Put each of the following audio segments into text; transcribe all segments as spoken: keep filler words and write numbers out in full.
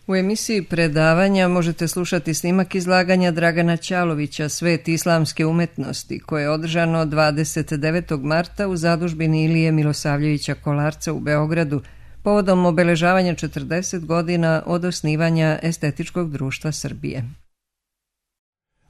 U emisiji predavanja možete slušati snimak izlaganja Dragana Ćalovića Svet islamske umetnosti, koje je održano dvadeset devetog marta u zadužbini Ilije Milosavljevića Kolarca u Beogradu, povodom obeležavanja četrdeset godina od osnivanja Estetičkog društva Srbije.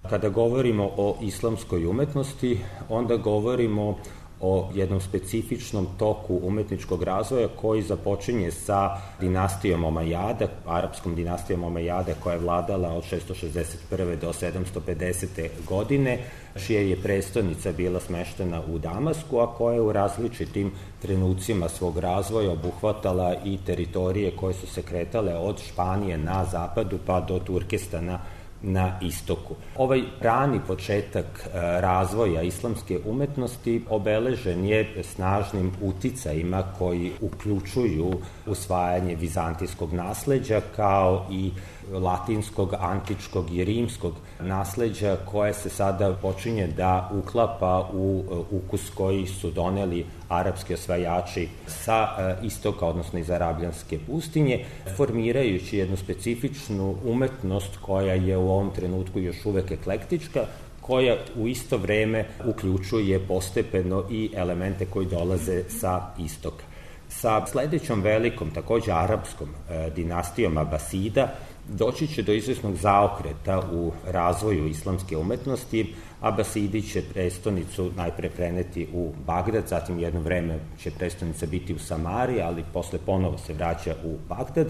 Kada govorimo o islamskoj umetnosti, onda govorimo o jednom specifičnom toku umetničkog razvoja koji započinje sa dinastijom Omajada, arapskom dinastijom Omajada, koja je vladala od šesto šezdeset prve do sedamsto pedesete godine, čija je prestonica bila smeštena u Damasku, a koja je u različitim trenucima svog razvoja obuhvatala i teritorije koje su se kretale od Španije na zapadu pa do Turkestana na istoku. Ovaj rani početak razvoja islamske umetnosti obeležen je snažnim uticajima koji uključuju usvajanje vizantijskog nasleđa kao i latinskog, antičkog i rimskog nasleđa koje se sada počinje da uklapa u ukus koji su doneli arapski osvajači sa istoka, odnosno iz Arabljanske pustinje, formirajući jednu specifičnu umetnost koja je u ovom trenutku još uvek eklektička, koja u isto vreme uključuje postepeno i elemente koji dolaze sa istoka. Sa sledećom velikom, takođe arapskom dinastijom Abasida, doći će do izvesnog zaokreta u razvoju islamske umetnosti. Abasidi će prestonicu najpre preneti u Bagdad, zatim jedno vreme će prestonica biti u Samari, ali posle ponovo se vraća u Bagdad,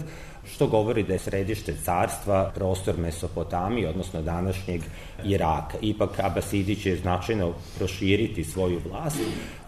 što govori da je središte carstva prostor Mesopotamije, odnosno današnjeg Iraka. Ipak Abasidi će značajno proširiti svoju vlast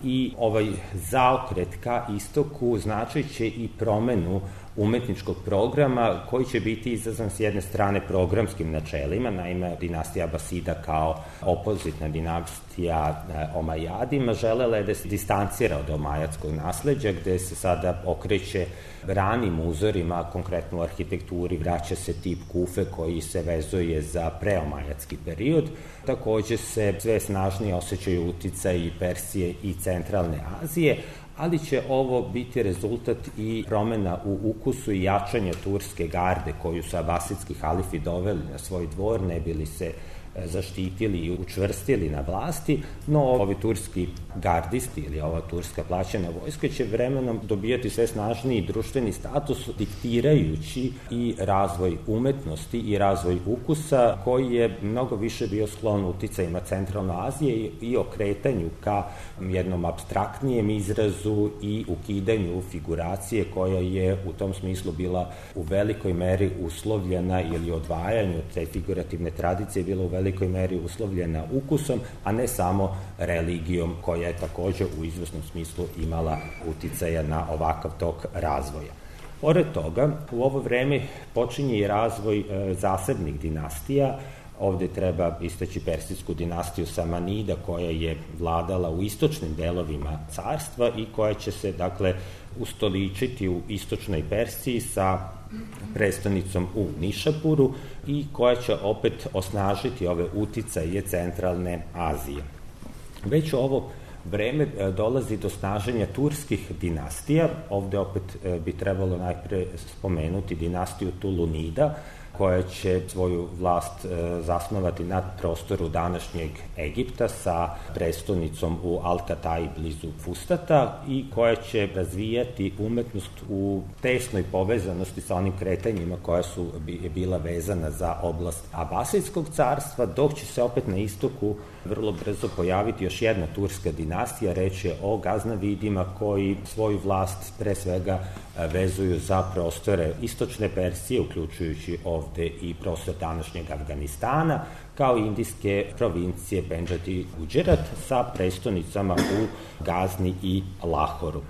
i ovaj zaokret ka istoku značit će i promenu umetničkog programa koji će biti izazvan s jedne strane programskim načelima, naime dinastija Abasida kao opozitna dinastija Omajadima želela je da se distancira od omajadskog nasleđa, gde se sada okreće ranim uzorima, konkretno u arhitekturi vraća se tip kufe koji se vezuje za preomajadski period. Takođe se sve snažnije osjećaju uticaji Persije i centralne Azije, ali će ovo biti rezultat i promena u ukusu i jačanja turske garde koju su abasidski halifi doveli na svoj dvor, ne bili se zaštitili i učvrstili na vlasti, no ovi turski gardisti ili ova turska plaćena vojska će vremenom dobijati sve snažniji društveni status, diktirajući i razvoj umetnosti i razvoj ukusa koji je mnogo više bio sklon uticajima Centralne Azije i okretanju ka jednom apstraktnijem izrazu i ukidanju figuracije koja je u tom smislu bila u velikoj meri uslovljena ili odvajanju te figurativne tradicije bila u velikoj velikoj meri uslovljena ukusom, a ne samo religijom koja je takođe u izvesnom smislu imala uticaja na ovakav tok razvoja. Pored toga, u ovo vreme počinje i razvoj e, zasebnih dinastija. Ovde treba istaći persijsku dinastiju Samanida koja je vladala u istočnim delovima carstva i koja će se, dakle, ustoličiti u istočnoj Persiji sa prestonicom u Nišapuru i koja će opet osnažiti ove uticaje centralne Azije. Već u ovo vreme dolazi do snaženja turskih dinastija. Ovde opet bi trebalo najpre spomenuti dinastiju Tulunida, koja će svoju vlast zasnovati na prostoru današnjeg Egipta sa prestonicom u Al-Katai blizu Fustata i koja će razvijati umetnost u tesnoj povezanosti sa onim kretanjima koja su bila vezana za oblast Abasidskog carstva, dok će se opet na istoku vrlo brzo pojaviti još jedna turska dinastija, reč je o Gaznavidima koji svoju vlast pre svega vezuju za prostore istočne Persije, uključujući ovde i prostor današnjeg Afganistana, kao i indijske provincije Pendžat i Guđerat sa prestonicama u Gazni i Lahoru.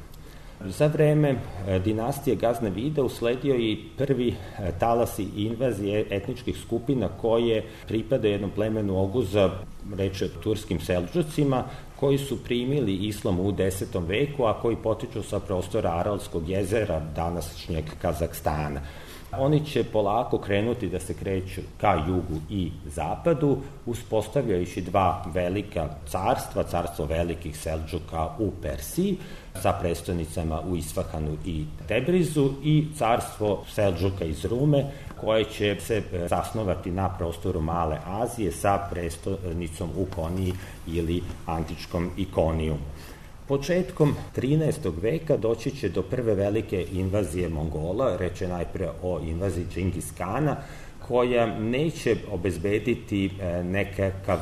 Za vreme dinastije Gaznevida usledio i prvi talasi invazije etničkih skupina koje pripada jednom plemenu Oguza, reč je o turskim Seldžucima, koji su primili islam u desetom veku, a koji potiču sa prostora Aralskog jezera, današnjeg Kazahstana. Oni će polako krenuti da se kreću ka jugu i zapadu, uspostavljajući dva velika carstva, carstvo velikih Seldžuka u Persiji, sa prestonicama u Isfahanu i Tebrizu, i carstvo Seldžuka iz Rume, koje će se zasnovati na prostoru Male Azije sa prestonicom u Koniji ili antičkom Ikonijumu. Početkom trinaestog veka doći će do prve velike invazije Mongola, reč je najpre o invaziji Džingis Kana, koja neće obezbediti nekakav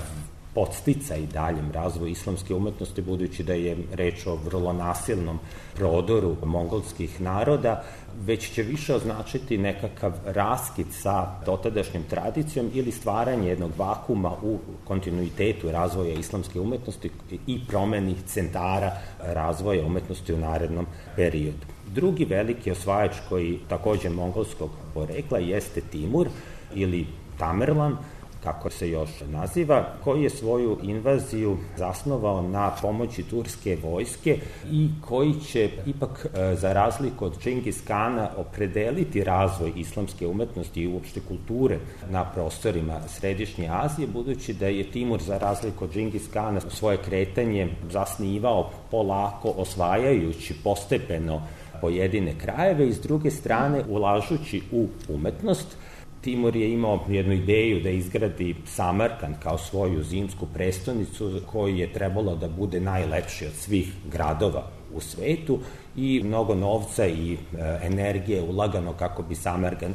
podsticaj daljem razvoju islamske umetnosti, budući da je reč o vrlo nasilnom prodoru mongolskih naroda, već će više označiti nekakav raskid sa dotadašnjom tradicijom ili stvaranje jednog vakuma u kontinuitetu razvoja islamske umetnosti i promeni centara razvoja umetnosti u narednom periodu. Drugi veliki osvajač, koji takođe mongolskog porekla, jeste Timur ili Tamerlan, kako se još naziva, koji je svoju invaziju zasnovao na pomoći turske vojske i koji će ipak, za razliku od Džingis Kana, opredeliti razvoj islamske umetnosti i uopšte kulture na prostorima Središnje Azije, budući da je Timur, za razliku od Džingis Kana, svoje kretanje zasnivao polako, osvajajući postepeno pojedine krajeve i s druge strane ulažući u umetnost. Timur je imao jednu ideju da izgradi Samarkand kao svoju zimsku prestonicu, koji je trebalo da bude najlepši od svih gradova u svetu, i mnogo novca i energije ulagano kako bi Samarkand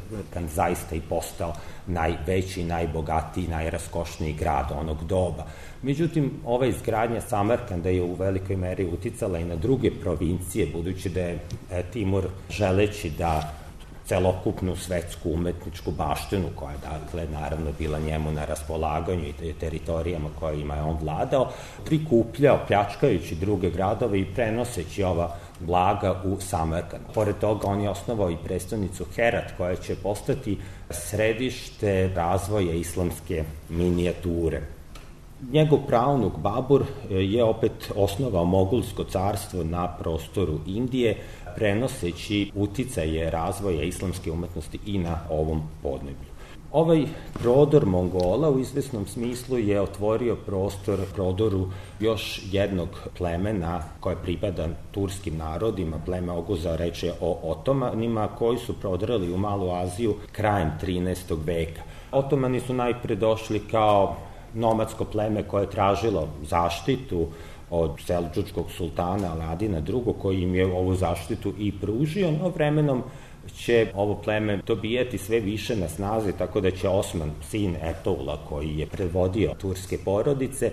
zaista i postao najveći, najbogatiji, najraskošniji grad onog doba. Međutim, ova izgradnja Samarkanda je u velikoj meri uticala i na druge provincije, budući da je Timur, želeći da celokupnu svetsku umetničku baštinu, koja je, dakle, naravno bila njemu na raspolaganju i teritorijama kojima je on vladao, prikupljao, pljačkajući druge gradove i prenoseći ova blaga u Samarkand. Pored toga, on je osnovao i prestonicu Herat, koja će postati središte razvoja islamske minijature. Njegov praunuk Babur je opet osnovao mogulsko carstvo na prostoru Indije, prenoseći uticaje razvoja islamske umetnosti i na ovom podneblju. Ovaj prodor Mongola u izvesnom smislu je otvorio prostor prodoru još jednog plemena koje pripada turskim narodima, pleme Oguza, reč je o Otomanima, koji su prodrali u Malu Aziju krajem trinaestog veka. Otomani su najpre došli kao nomadsko pleme koje je tražilo zaštitu od seldžučkog sultana Aladina drugog, koji im je ovu zaštitu i pružio, no vremenom će ovo pleme dobijati sve više na snazi, tako da će Osman, sin Etoula, koji je predvodio turske porodice,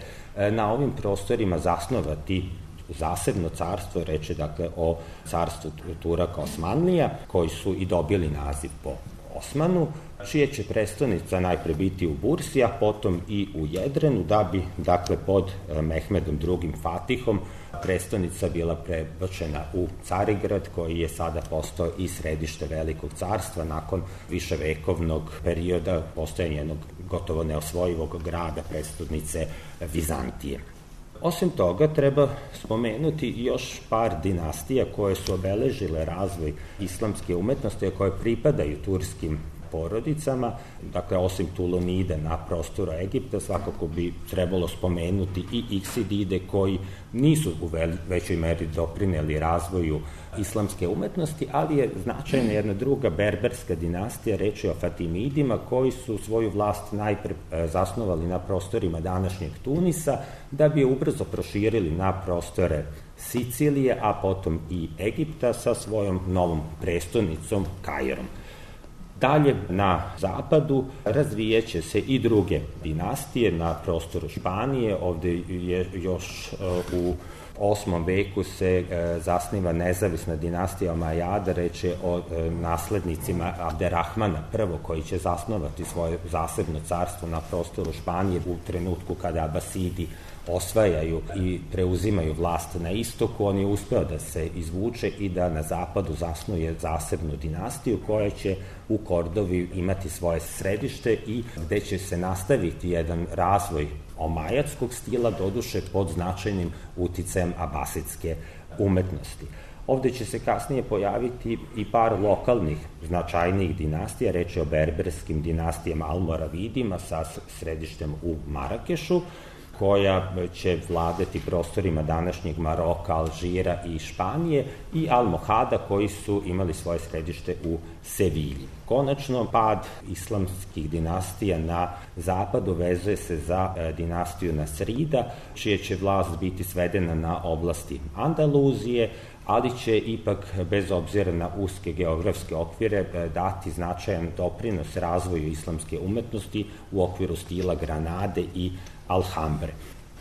na ovim prostorima zasnovati zasebno carstvo, reče dakle o carstvu Turaka Osmanlija, koji su i dobili naziv po Osmanu, čije će prestonica najpre biti u Bursi, a potom i u Jedrenu, da bi, dakle, pod Mehmedom drugim Fatihom prestonica bila prebačena u Carigrad, koji je sada postao i središte velikog carstva nakon viševekovnog perioda postojanja jednog gotovo neosvojivog grada, prestonice Vizantije. Osim toga, treba spomenuti još par dinastija koje su obeležile razvoj islamske umetnosti, a koje pripadaju turskim porodicama. Dakle, osim Tulunide na prostoru Egipta, svakako bi trebalo spomenuti i Iksidide, koji nisu u većoj meri doprineli razvoju islamske umetnosti, ali je značajna jedna druga berberska dinastija, reč je o Fatimidima, koji su svoju vlast najpre zasnovali na prostorima današnjeg Tunisa, da bi je ubrzo proširili na prostore Sicilije, a potom i Egipta sa svojom novom prestonicom Kairom. Dalje na zapadu razvijeće se i druge dinastije na prostoru Španije. Ovde je još u osmom veku se zasniva nezavisna dinastija Omajada, reč je o naslednicima Abderrahmana prvog, koji će zasnovati svoje zasebno carstvo na prostoru Španije u trenutku kada Abasidi osvajaju i preuzimaju vlast na istoku. On je uspeo da se izvuče i da na zapadu zasnuje zasebnu dinastiju, koja će u Kordovi imati svoje središte i gde će se nastaviti jedan razvoj omajatskog stila, doduše pod značajnim uticajem abasidske umetnosti. Ovde će se kasnije pojaviti i par lokalnih značajnijih dinastija, reč je o berberskim dinastijama Almoravidima sa središtem u Marakešu, koja će vladati prostorima današnjeg Maroka, Alžira i Španije, i Almohada, koji su imali svoje središte u Sevilji. Konačno, pad islamskih dinastija na zapadu vezuje se za dinastiju Nasrida, čije će vlast biti svedena na oblasti Andaluzije, ali će ipak, bez obzira na uske geografske okvire, dati značajan doprinos razvoju islamske umetnosti u okviru stila Granade i Alhambre.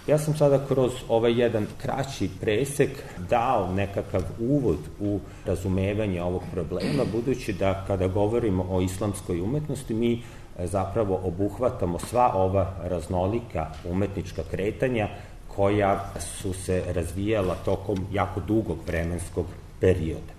Ja sam sada kroz ovaj jedan kraći presek dao nekakav uvod u razumevanje ovog problema, budući da kada govorimo o islamskoj umetnosti, mi zapravo obuhvatamo sva ova raznolika umetnička kretanja koja su se razvijala tokom jako dugog vremenskog perioda.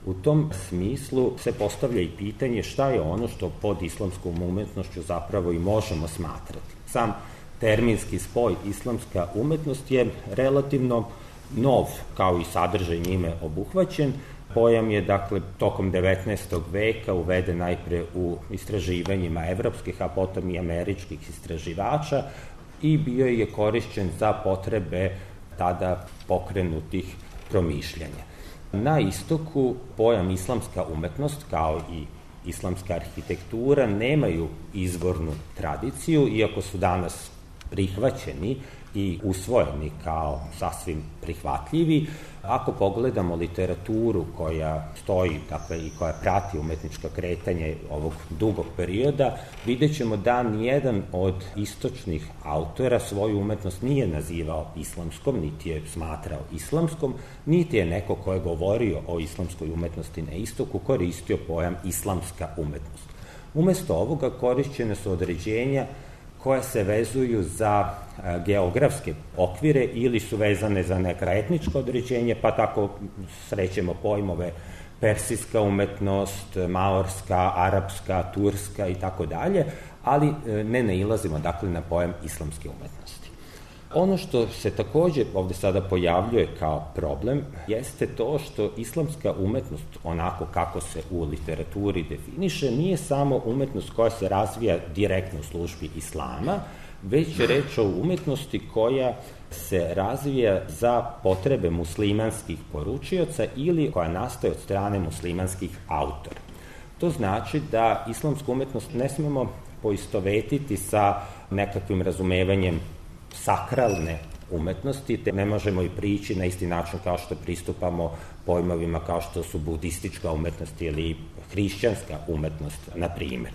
U tom smislu se postavlja i pitanje šta je ono što pod islamskom umetnošću zapravo i možemo smatrati. Sam terminski spoj islamska umetnost je relativno nov, kao i sadržaj njime obuhvaćen. Pojam je, dakle, tokom devetnaestog veka uveden najpre u istraživanjima evropskih, a potom i američkih istraživača i bio je korišćen za potrebe tada pokrenutih promišljanja. Na istoku pojam islamska umetnost, kao i islamska arhitektura, nemaju izvornu tradiciju, iako su danas prihvaćeni i usvojeni kao sasvim prihvatljivi. Ako pogledamo literaturu koja stoji, dakle, i koja prati umetnička kretanja ovog dugog perioda, vidjet ćemo da nijedan od istočnih autora svoju umetnost nije nazivao islamskom, niti je smatrao islamskom, niti je neko ko je govorio o islamskoj umetnosti na istoku koristio pojam islamska umetnost. Umesto ovoga korišćene su određenja koje se vezuju za geografske okvire ili su vezane za neka etnička određenja, pa tako srećemo pojmove persijska umetnost, maorska, arapska, turska i tako dalje, ali ne nailazimo, dakle, na pojam islamske umetnosti. Ono što se takođe ovde sada pojavljuje kao problem jeste to što islamska umetnost, onako kako se u literaturi definiše, nije samo umetnost koja se razvija direktno u službi islama, već je reč o umetnosti koja se razvija za potrebe muslimanskih poručioca ili koja nastaje od strane muslimanskih autora. To znači da islamsku umetnost ne smemo poistovetiti sa nekakvim razumevanjem sakralne umetnosti, te ne možemo i prići na isti način kao što pristupamo pojmovima kao što su budistička umetnost ili hrišćanska umetnost, na primer.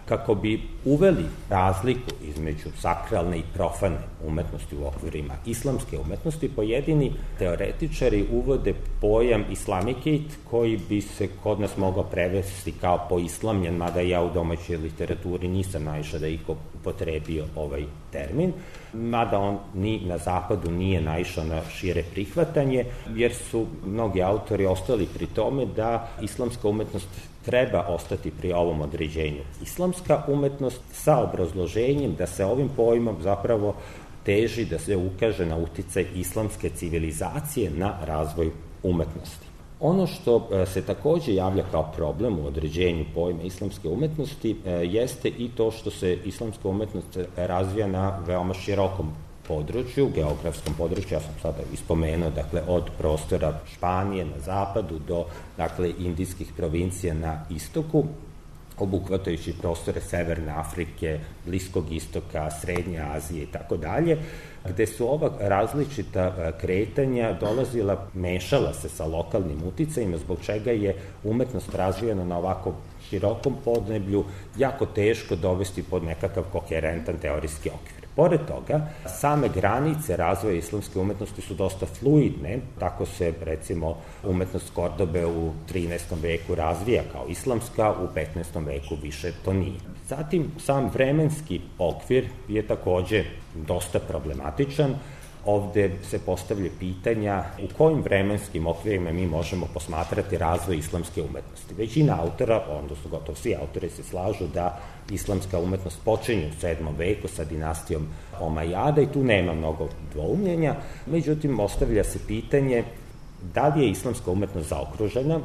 Kako bi uveli razliku između sakralne i profane umetnosti u okvirima islamske umetnosti, pojedini teoretičari uvode pojam islamicate, koji bi se kod nas mogao prevesti kao poislamljen, mada ja u domaćoj literaturi nisam naišao da iko upotrebio ovaj termin, mada on ni na zapadu nije naišao na šire prihvatanje, jer su mnogi autori ostali pri tome da islamska umetnost treba ostati pri ovom određenju. Islamska umetnost sa obrazloženjem da se ovim pojmom zapravo teži da se ukaže na uticaj islamske civilizacije na razvoj umetnosti. Ono što se takođe javlja kao problem u određenju pojma islamske umetnosti jeste i to što se islamska umetnost razvija na veoma širokom području, geografskom području, ja sam sada ispomenuo, dakle, od prostora Španije na zapadu do, dakle, indijskih provincija na istoku, obuhvatajući prostore Severne Afrike, Bliskog istoka, Srednje Azije i tako dalje, gde su ova različita kretanja dolazila, mešala se sa lokalnim uticajima, zbog čega je umetnost razvijena na ovako širokom podneblju jako teško dovesti pod nekakav koherentan teorijski okvir. Pored toga, same granice razvoja islamske umetnosti su dosta fluidne, tako se, recimo, umetnost Kordobe u trinaestom veku razvija kao islamska, u petnaestom veku više to nije. Zatim, sam vremenski okvir je takođe dosta problematičan. Ovde se postavlja pitanja u kojim vremenskim okvirima mi možemo posmatrati razvoj islamske umetnosti. Većina autora, odnosno gotovo svi autori, se slažu da islamska umetnost počinje u sedmom veku sa dinastijom Omajada i tu nema mnogo dvoumljenja. Međutim, ostavlja se pitanje da li je islamska umetnost zaokružena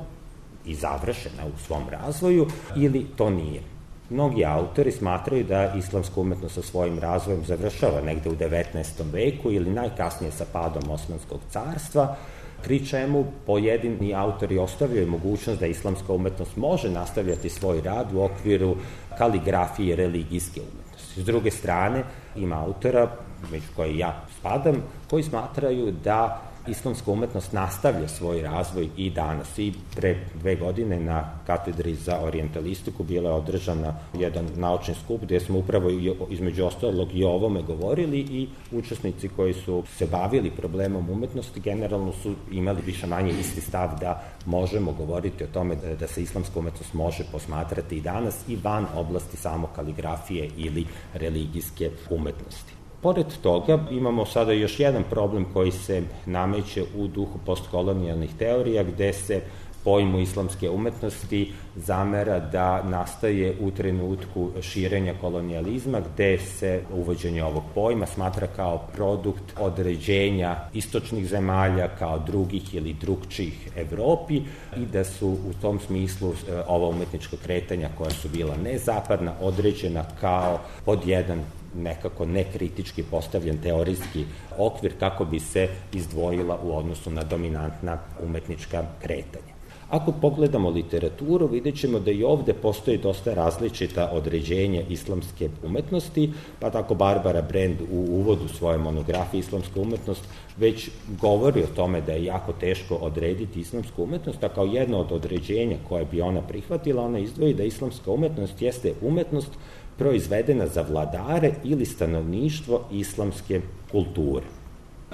i završena u svom razvoju ili to nije. Mnogi autori smatraju da islamska umetnost sa svojim razvojem završava negde u devetnaestom veku ili najkasnije sa padom Osmanskog carstva, pri čemu pojedini autori ostavljaju mogućnost da islamska umetnost može nastavljati svoj rad u okviru kaligrafije religijske umetnosti. S druge strane, ima autora, među koje ja spadam, koji smatraju da islamska umetnost nastavlja svoj razvoj i danas. I pre dve godine na katedri za orijentalistiku bila je održana jedan naučni skup gde smo upravo između ostalog i o ovome govorili i učesnici koji su se bavili problemom umetnosti generalno su imali više manje isti stav da možemo govoriti o tome da, da se islamska umetnost može posmatrati i danas i van oblasti samo kaligrafije ili religijske umetnosti. Pored toga imamo sada još jedan problem koji se nameće u duhu postkolonijalnih teorija gde se pojmu islamske umetnosti zamera da nastaje u trenutku širenja kolonijalizma gde se uvođenje ovog pojma smatra kao produkt određenja istočnih zemalja kao drugih ili drugčijih Evropi i da su u tom smislu ova umetnička kretanja koja su bila nezapadna određena kao pod jedan nekako nekritički postavljen teorijski okvir kako bi se izdvojila u odnosu na dominantna umetnička kretanja. Ako pogledamo literaturu, vidjet ćemo da i ovde postoji dosta različita određenja islamske umetnosti, pa tako Barbara Brand u uvodu svoje monografije Islamska umetnost već govori o tome da je jako teško odrediti islamsku umetnost, a kao jedno od određenja koje bi ona prihvatila, ona izdvoji da islamska umetnost jeste umetnost proizvedena za vladare ili stanovništvo islamske kulture.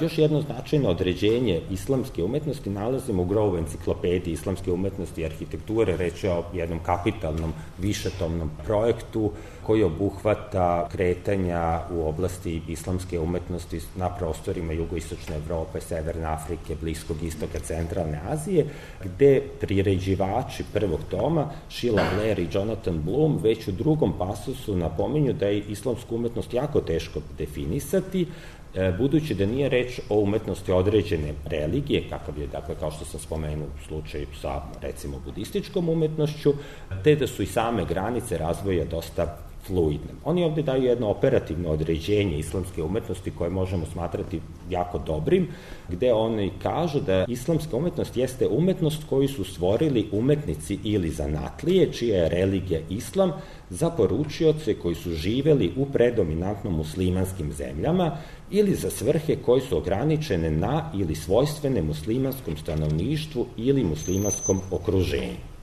Još jedno značajno određenje islamske umetnosti nalazimo u Grove enciklopediji islamske umetnosti i arhitekture, reč je o jednom kapitalnom višetomnom projektu koji obuhvata kretanja u oblasti islamske umetnosti na prostorima jugoistočne Evrope, Severne Afrike, Bliskog istoka, Centralne Azije, gde priređivači prvog toma, Sheila Blair i Jonathan Bloom, već u drugom pasusu napominju da je islamsku umetnost jako teško definisati, budući da nije reč o umetnosti određene religije, kakav je, dakle, kao što sam spomenuo u slučaju sa, recimo, budističkom umetnošću, te da su i same granice razvoja dosta fluidne. Oni ovde daju jedno operativno određenje islamske umetnosti koje možemo smatrati jako dobrim, gde oni kažu da islamska umetnost jeste umetnost koju su stvorili umetnici ili zanatlije, čija je religija islam, za poručioce koji su živeli u predominantno muslimanskim zemljama ili za svrhe koje su ograničene na ili svojstvene muslimanskom stanovništvu ili muslimanskom okruženju.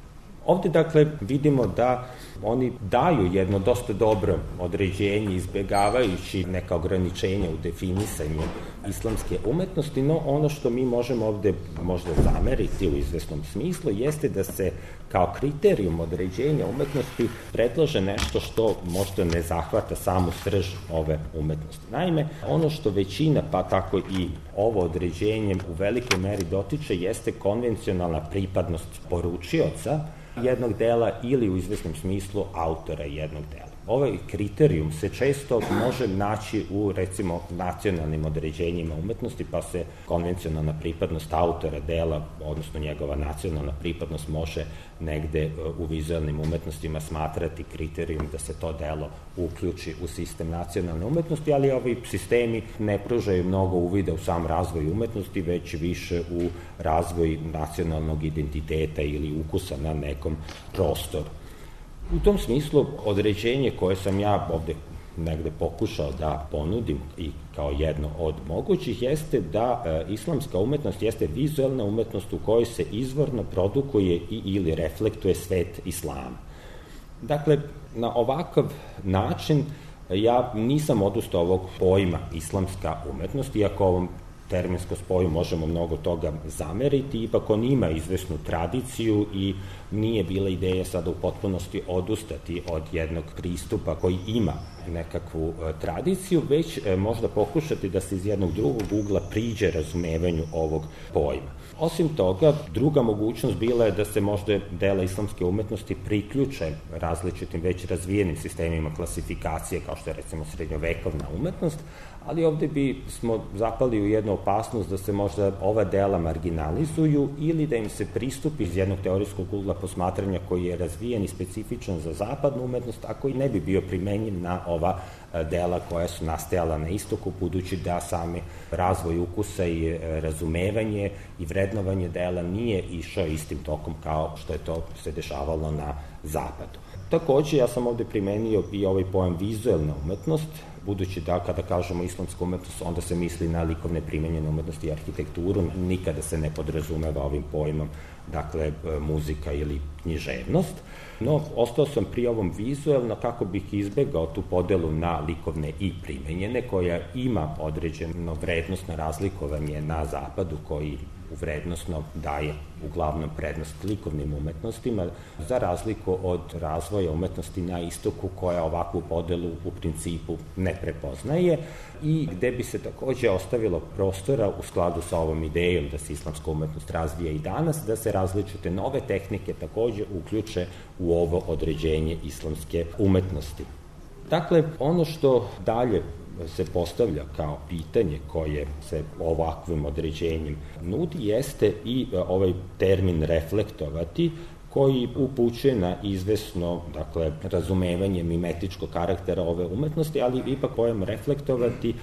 Ovde, dakle, vidimo da oni daju jedno dosta dobro određenje, izbegavajući neka ograničenja u definisanju islamske umetnosti, no ono što mi možemo ovde možda zameriti u izvesnom smislu jeste da se kao kriterijum određenja umetnosti predlaže nešto što možda ne zahvata samu srž ove umetnosti. Naime, ono što većina, pa tako i ovo određenje u velikoj meri dotiče jeste konvencionalna pripadnost poručioca jednog dela ili u izvesnom smislu autora jednog dela. Ovaj kriterijum se često može naći u, recimo, nacionalnim određenjima umetnosti, pa se konvencionalna pripadnost autora dela, odnosno njegova nacionalna pripadnost, može negde u vizualnim umetnostima smatrati kriterijum da se to delo uključi u sistem nacionalne umetnosti, ali ovi sistemi ne pružaju mnogo uvida u sam razvoj umetnosti, već više u razvoj nacionalnog identiteta ili ukusa na nekom prostoru. U tom smislu, određenje koje sam ja ovde negde pokušao da ponudim i kao jedno od mogućih jeste da e, islamska umetnost jeste vizualna umetnost u kojoj se izvorno produkuje i ili reflektuje svet islama. Dakle, na ovakav način ja nisam odustao ovog pojma islamska umetnost, iako ovom terminskom spoju možemo mnogo toga zameriti, ipak on ima izvesnu tradiciju i nije bila ideja sada u potpunosti odustati od jednog pristupa koji ima nekakvu e, tradiciju, već e, možda pokušati da se iz jednog drugog ugla priđe razumevanju ovog pojma. Osim toga, druga mogućnost bila je da se možda dela islamske umetnosti priključe različitim već razvijenim sistemima klasifikacije, kao što je recimo srednjovekovna umetnost, ali ovde bi smo zapali u jednu opasnost da se možda ova dela marginalizuju ili da im se pristupi iz jednog teorijskog ugla posmatranja koji je razvijen i specifičan za zapadnu umetnost, a koji ne bi bio primenjiv na ova dela koja su nastajala na istoku, budući da sami razvoj ukusa i razumevanje i vrednovanje dela nije išao istim tokom kao što je to se dešavalo na zapadu. Takođe, ja sam ovde primenio i ovaj pojam vizuelna umetnost, budući da kada kažemo islamska umetnost, onda se misli na likovne primenjene umetnosti i arhitekturu, nikada se ne podrazumeva ovim pojmom, dakle, muzika ili književnost. No, ostao sam pri ovom vizuelno kako bih izbegao tu podelu na likovne i primenjene, koja ima određeno vrednostno razlikovanje na zapadu, koji vrednostno daje uglavnom prednost likovnim umetnostima, za razliku od razvoja umetnosti na istoku, koja ovakvu podelu u principu ne prepoznaje i gde bi se takođe ostavilo prostora u skladu sa ovom idejom da se islamska umetnost razvija i danas, da se različite nove tehnike takođe uključe u ovo određenje islamske umetnosti. Dakle, ono što dalje se postavlja kao pitanje koje se ovakvim određenjem nudi jeste i ovaj termin reflektovati, koji upućuje na izvesno, dakle, razumevanje mimetičkog karaktera ove umetnosti, ali ipak pojam reflektovati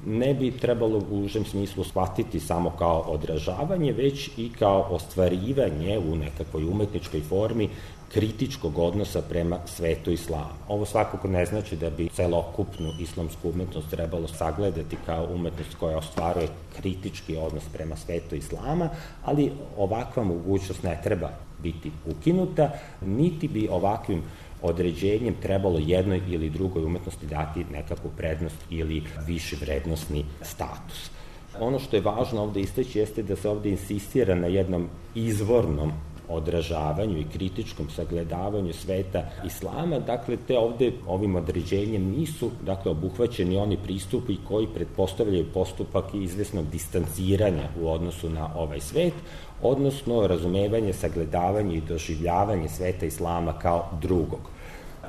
ne bi trebalo u užem smislu shvatiti samo kao odražavanje, već i kao ostvarivanje u nekakvoj umetničkoj formi kritičkog odnosa prema svetu islama. Ovo svakako ne znači da bi celokupnu islamsku umetnost trebalo sagledati kao umetnost koja ostvaruje kritički odnos prema svetu islama, ali ovakva mogućnost ne treba biti ukinuta, niti bi ovakvim određenjem trebalo jednoj ili drugoj umetnosti dati nekakvu prednost ili viši vrednostni status. Ono što je važno ovde istaći jeste da se ovde insistira na jednom izvornom odražavanju i kritičkom sagledavanju sveta islama, dakle, te ovde ovim određenjem nisu, dakle, obuhvaćeni oni pristupi koji pretpostavljaju postupak i izvesnog distanciranja u odnosu na ovaj svet, odnosno razumevanje, sagledavanje i doživljavanje sveta islama kao drugog.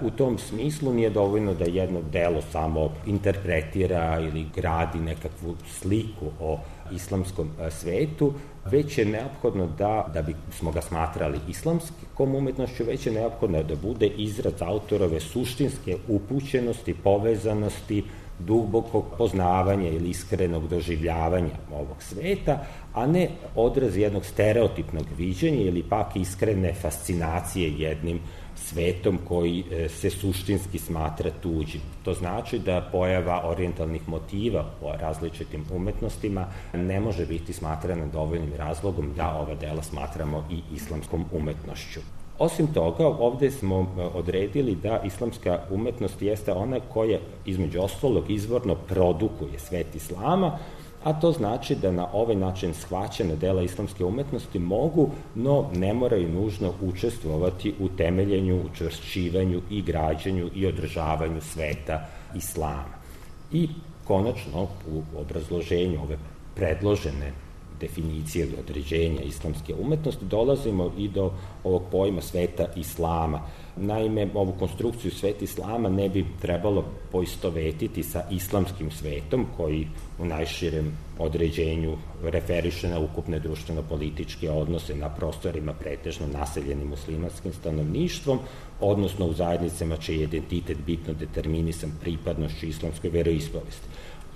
U tom smislu nije dovoljno da jedno delo samo interpretira ili gradi nekakvu sliku o islamskom svetu, već je neophodno da, da bi smo ga smatrali islamskom umetnošću, već je neophodno da bude izraz autorove suštinske upućenosti, povezanosti, dubokog poznavanja ili iskrenog doživljavanja ovog sveta, a ne odraz jednog stereotipnog viđenja ili pak iskrene fascinacije jednim svetom koji se suštinski smatra tuđim. To znači da pojava orijentalnih motiva o različitim umetnostima ne može biti smatrana dovoljnim razlogom da ova dela smatramo i islamskom umetnošću. Osim toga, ovde smo odredili da islamska umetnost jeste ona koja, između ostalog, izvorno produkuje svet islama, a to znači da na ovaj način shvaćena dela islamske umetnosti mogu, no ne moraju nužno učestvovati u temeljenju, učvršćivanju i građenju i održavanju sveta islama. I konačno, u obrazloženju ove predložene definicije ili određenja islamske umetnosti dolazimo i do ovog pojma sveta islama. Naime, ovu konstrukciju sveta islama ne bi trebalo poistovetiti sa islamskim svetom, koji u najširem određenju referiše na ukupne društveno-političke odnose na prostorima pretežno naseljenim muslimanskim stanovništvom, odnosno u zajednicama čiji je identitet bitno determinisan pripadnošću islamskoj veroispovesti.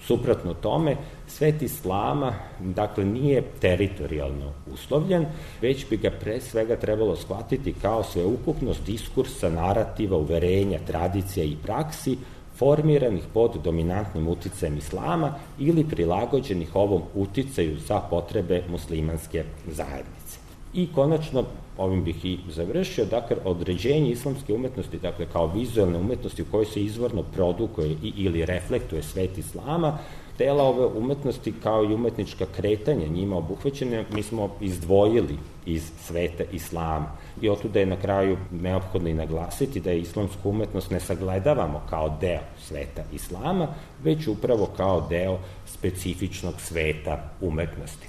Suprotno tome, svet islama, dakle, nije teritorijalno uslovljen, već bi ga pre svega trebalo shvatiti kao sveukupnost diskursa, narativa, uverenja, tradicija i praksi formiranih pod dominantnim uticajem islama ili prilagođenih ovom uticaju za potrebe muslimanske zajednice. I konačno, ovim bih i završio, dakle, određenje islamske umetnosti, dakle, kao vizualne umetnosti u kojoj se izvorno produkuje i, ili reflektuje svet islama, dela ove umetnosti kao i umetnička kretanja njima obuhvaćene, mi smo izdvojili iz sveta islama. I otuda je na kraju neophodno i naglasiti da je islamsku umetnost ne sagledavamo kao deo sveta islama, već upravo kao deo specifičnog sveta umetnosti.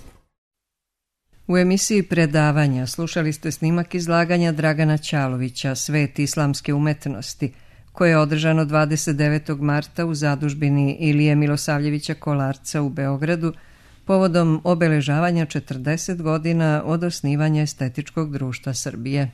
U emisiji predavanja slušali ste snimak izlaganja Dragana Ćalovića Svet islamske umetnosti, koje je održano dvadeset devetog marta u zadužbini Ilije Milosavljevića Kolarca u Beogradu povodom obeležavanja četrdeset godina od osnivanja Estetičkog društva Srbije.